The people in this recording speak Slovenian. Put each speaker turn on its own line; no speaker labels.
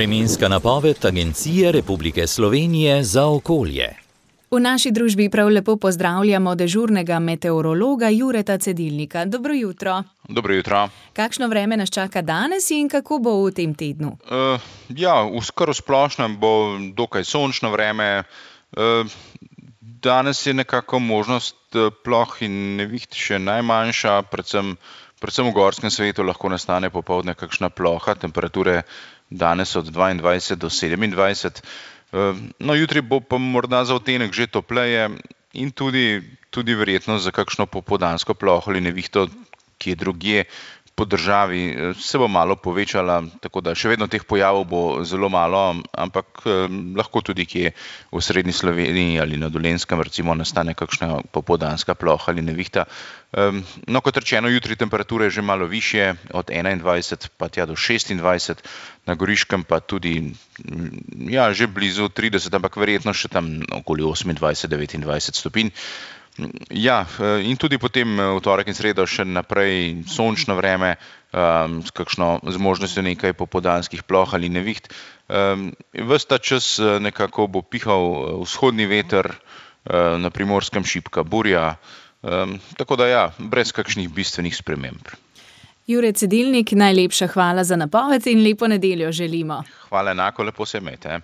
Vremenska napoved Agencije Republike Slovenije za okolje.
V naši družbi prav lepo pozdravljamo dežurnega meteorologa Jureta Cedilnika. Dobro jutro.
Dobro jutro.
Kakšno vreme nas čaka danes in kako bo v tem tednu?
V splošnem bo dokaj sončno vreme. Danes je nekako možnost ploh in neviht še najmanjša, predvsem v gorskem svetu lahko nastane popoldne kakšna ploha, temperature danes od 22 do 27. No, jutri bo pa morda za odtenek že topleje in tudi verjetno za kakšno popoldansko ploho ali nevihto, ki je drugje po državi, se bo malo povečala, tako da še vedno teh pojavov bo zelo malo, ampak lahko tudi kje v srednji Sloveniji ali na Dolenjskem recimo nastane kakšna popoldanska ploha ali nevihta. No, kot rečeno, jutri temperature že malo višje, od 21 pa tja do 26, na Goriškem pa tudi že blizu 30, ampak verjetno še tam okoli 28-29 stopinj. In tudi potem v torek in sredo še naprej sončno vreme, z možnostjo nekaj popoldanskih ploh ali neviht. Ves ta čas nekako bo pihal vzhodni veter, na Primorskem šibka burja, tako da brez kakšnih bistvenih sprememb.
Jure Cedilnik, najlepša hvala za napoved in lepo nedeljo želimo.
Hvala enako, lepo se imejte.